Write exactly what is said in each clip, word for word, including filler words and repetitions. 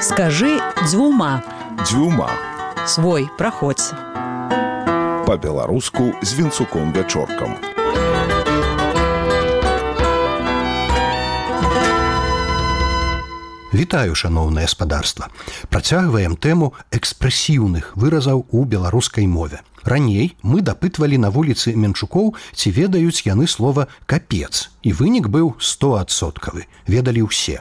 Скажи дзвюма. Дзвюма. Свой, праходзь. Па-беларуску з Вінцуком Вячоркам. Вітаю, шаноўнае спадарства. Працягваем тэму экспрэсіўных выразаў у беларускай мове. Раней мы дапытвалі на вуліцы Менчукоў, ці ведаюць яны слова «капец», і вынік быў стоадсоткавы, ведалі ўсе.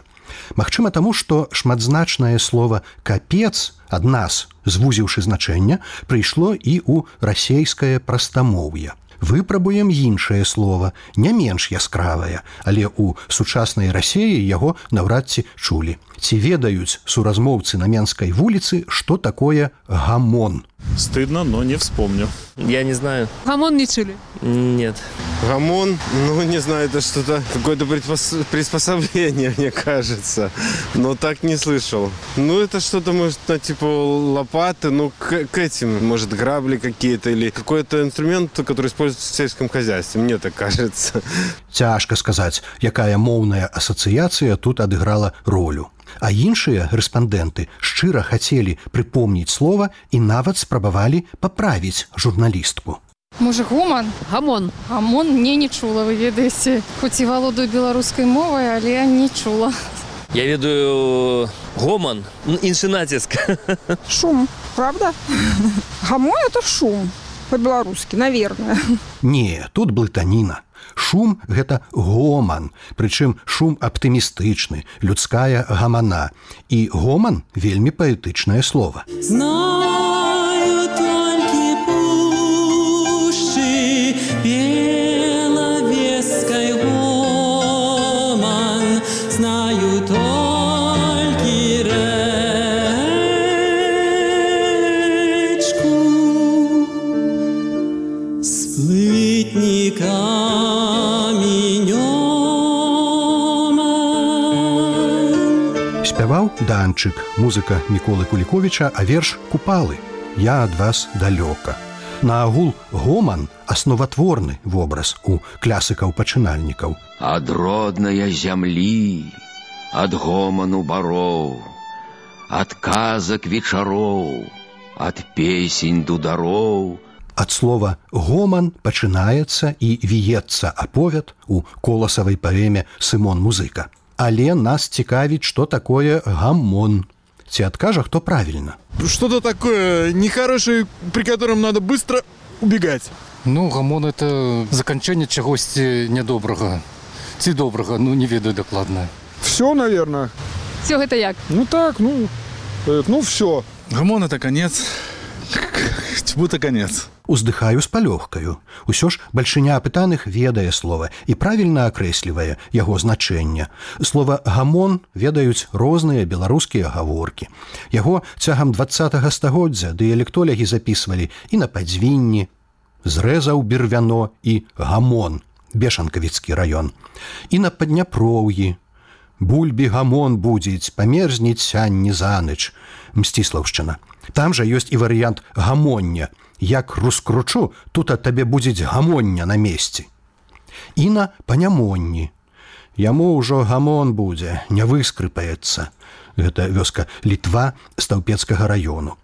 Магчыма таму, што шматзначнае слова «капец» ад нас, звузіўшы значэнне, прыйшло і ў расейскае прастамоўе. Выпрабуем іншае слова, не менш яскравае, але ў сучаснай Расеі яго наўрад ці чулі. Ці ведаюць суразмоўцы на Менскай вуліцы, што такое гамон? Стыдно, но не вспомню. Я не знаю. Гамон не чули? Нет. Гамон, ну не знаю, это что-то, какое-то предпос... приспособление, мне кажется. Но так не слышал. Ну это что-то, может, на типа лопаты, ну к, к этим, может, грабли какие-то или какой-то инструмент, который используется в сельском хозяйстве, мне так кажется. Цяжка сказаць, якая моўная асацыяцыя тут адыграла ролю. А іншыя рэспандэнты шчыра хацелі прыпомніць слова і нават спрабавалі паправіць журналістку. Можа, гоман? Гамон. Гамон мне не чула, вы ведаеце. Хоць і валодаю беларускай мовай, але не чула. Я ведаю гоман, іншы націск. Шум, правда? Гамон – это шум, по-беларускі, наверное. Не, тут блытаніна. Шум – гэта гоман, прычым шум аптымістычны, людская гамана. І гоман – вельмі паэтычнае слова. Знаю толькі пушчы белавескай гоман, знаю толькі рэчку з плытніка. Спяваў Данчык, музыка Міколы Куліковіча, а верш «Купалы» «Я ад вас далёка». Наагул гоман – асноватворны вобраз у клясыкаў-пачынальнікаў. Ад роднае зямлі, ад гоману бароў, ад казак вечароў, ад песень дудароў. Ад слова «гоман» пачынаецца і віецца аповяд у коласавай паэме «Сымон Музыка». Але нас цікавіць, што такое гамон. Ці адкажа, хто правільна? Что-то такое нехорошее, при котором надо быстро убегать. Ну, гамон – это заканчэнне чагосьці нядобрага. Ці добрага, ну, не ведаю дакладна. Все, наверное. Все гэта як? Ну так, ну, ну все. Гамон – это конец. Будто конец. Уздыхаю з палёгкаю. Усё ж бальшыня апытаных ведае слова і правільна акрэслівае яго значэнне. Слова «гамон» ведаюць розныя беларускія гаворкі. Яго цягам дваццатага стагоддзя дыялектолягі запісвалі і на Падзвінні, зрэзаў бервяно і гамон, Бешанкавіцкі раён, і на Падняпроўі, бульбі гамон будзіць, памерзніць сянні заныч, Мсціслаўшчына. Там жа ёсць і варыянт гамоння. Як раскручу, тут ад табе будзе гамоння на месці. І на Панямонні. Яму ўжо гамон будзе, не выскрыпаецца. Гэта вёска Літва Стаўпецкага раёну.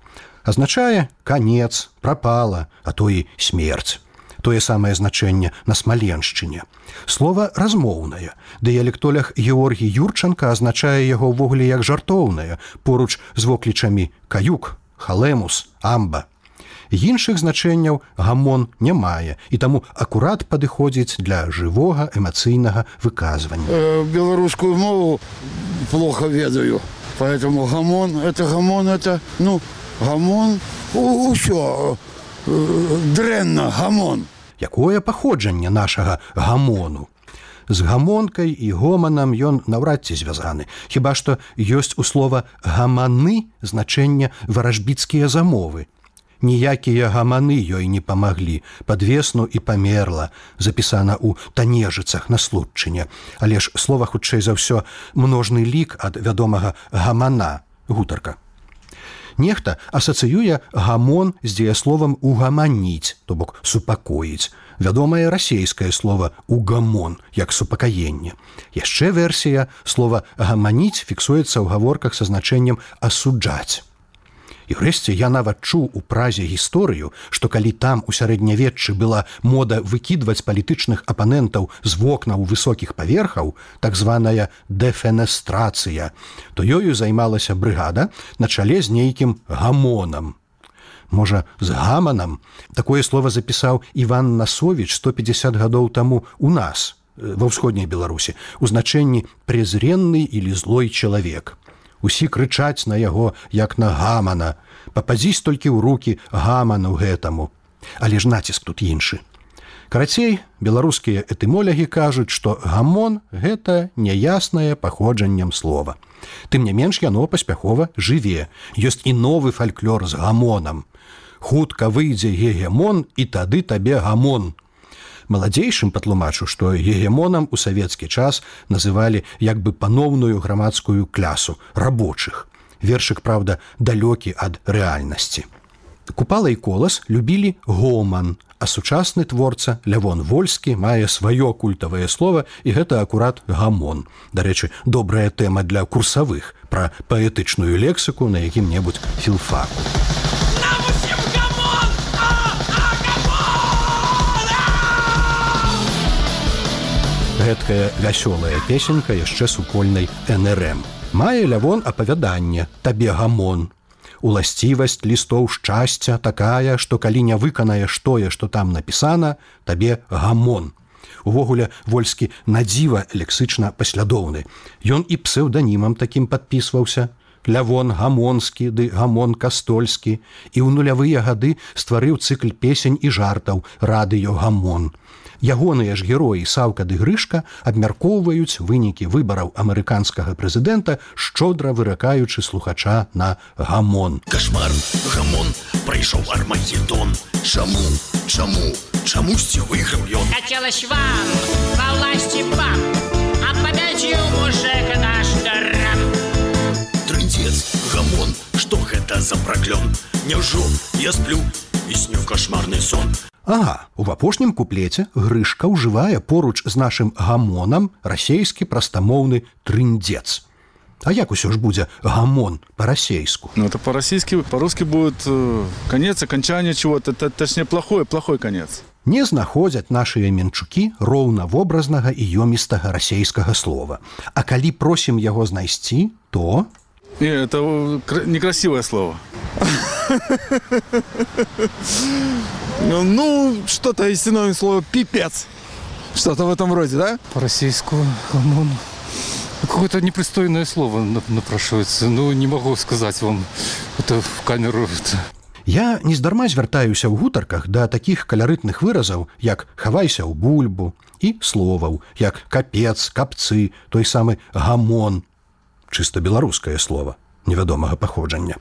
Азначае канец, прапала, а то і смерць. Тое самае значэнне на Смаленшчыне. Слова размоўнае. Дыялектолях Георгій Юрчанка азначае яго ўвогуле як жартоўнае, поруч з воклічамі каюк, халемус, амба. Іншых значэнняў гамон не мае, і таму акурат падыходзіць для жывога эмацыйнага выказвання. Э, беларускую мову плохо ведаю, поэтому гамон, это гамон, это, ну, гамон, усё, дрэнна, гамон. Якое паходжанне нашага гамону? З гамонкай і гоманам ён наўрад ці звязаны. Хіба што ёсць у слова «гаманы» значэнне варажбіцкія замовы. Ніякія гаманы ёй не памаглі, пад весну і памерла, запісана ў Танежыцах на Случчыне. Але ж слова хутчэй за ўсё множны лік ад вядомага гамана, гутарка. Нехта асацыюе гамон з дзеясловам угаманіць, то бок супакоіць. Вядомае расейскае слова угамон, як супакаенне. Яшчэ версія слова гаманіць фіксуецца ў гаворках са значэннем асуджаць. І ўрэшце я нават чуў у Празе гісторыю, што калі там у сярэднявеччы была мода выкідваць палітычных апанентаў з вокнаў высокіх паверхаў, так званая дэфенестрацыя, то ёю займалася брыгада на чале з нейкім гамонам. Можа, з гаманам? Такое слова запісаў Іван Насовіч сто пятьдесят гадоў таму у нас, ва ўсходняй Беларусі, у значэнні «презренны» или «злой чалавек». Усі крычаць на яго, як на гамана. Пападзісь толькі ў рукі гаману гэтаму. Але ж націск тут іншы. Карацей, беларускія этымолягі кажуць, што гамон – гэта няяснае паходжаннем слова. Тым не менш, яно паспяхова жыве. Ёсць і новы фальклор з гамонам. Хутка выйдзе гегемон, і тады табе гамон. Маладзейшым патлумачу, што гегемонам у савецкі час называлі як бы паноўную грамадскую клясу рабочых. Вершык, праўда, далёкі ад рэальнасці. Купала і Колас любілі гоман, а сучасны творца Лявон Вольскі мае сваё культавае слова, і гэта акурат гамон. Дарэчы, добрая тэма для курсавых пра паэтычную лексіку на якім-небудзь філфаку. Гэткая вясёлая песенька яшчэ супольнай эн эр эм. Мае Лявон апавяданне «Табе гамон». Уласцівасць лістоў шчасця такая, што калі не выканаеш тое, што там напісана, табе гамон. Увогуле, Вольскі надзіва лексычна паслядоўны. Ён і псеўданімам такім падпісваўся. Лявон Гамонскі ды Гамон Кастольскі. І ў нулявыя гады стварыў цыкл песень і жартаў «Радыё Гамон». Ягоныя ж героі Саўка ды Грышка абмяркоўваюць вынікі выбараў амерыканскага прэзідэнта, шчодра выракаючы слухача на гамон. Кашмар, гамон, прайшоў Армагеддон. Чаму, чаму, чамусьці выйграў ён? Хацелось вам, во власти баб, а победил мужик наш раб. Трындец, гамон, што гэта за праклён? Няўжо я сплю і сню кашмарны сон? Ага, у апошнім куплеце Грышка ўжывае поруч з нашым гамонам расейскі прастамоўны трындец. А як усё ж будзе гамон по-расейску? Ну, это по-российски, по-русски будет э, конец, окончание чего-то, точнее, плохой, плохой конец. Не знаходзяць нашыя менчукі роўнавобразнага і ёмістага расейскага слова. А калі просім яго знайсці, то... Не, это некрасивое слово. Ну, что-то из синоним слова «пипец». Что-то в этом роде, да? По-российски гамон. Какое-то непристойное слово напрашивается. Ну, не могу сказать вам это в камеру. Я нездарма звяртаюся ў гутарках да такіх каларытных выразаў, як «хавайся ў бульбу» і словаў, як «капец», «капцы», той самы «гамон». Чыста беларускае слово, невядомага паходжання.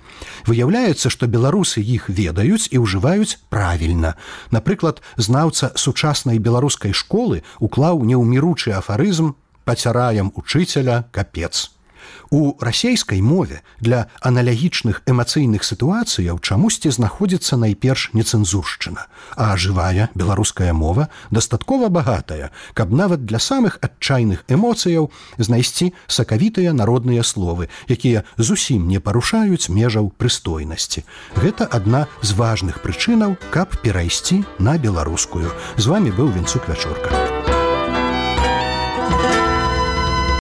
Выяўляецца, што беларусы іх ведаюць і ўжываюць правільна. Напрыклад, знаўца сучаснай беларускай школы уклаў неўміручы афарызм «пацяраем учыцеля капец». У расейскай мове для аналагічных эмацыйных сітуацыяў чамусьці знаходзіцца найперш нецэнзуршчына, а жывая беларуская мова дастаткова багатая, каб нават для самых адчайных эмоцыяў знайсці сакавітыя народныя словы, якія зусім не парушаюць межаў прыстойнасці. Гэта адна з важных прычынаў, каб перайсці на беларускую. З вамі быў Вінцук Вячорка.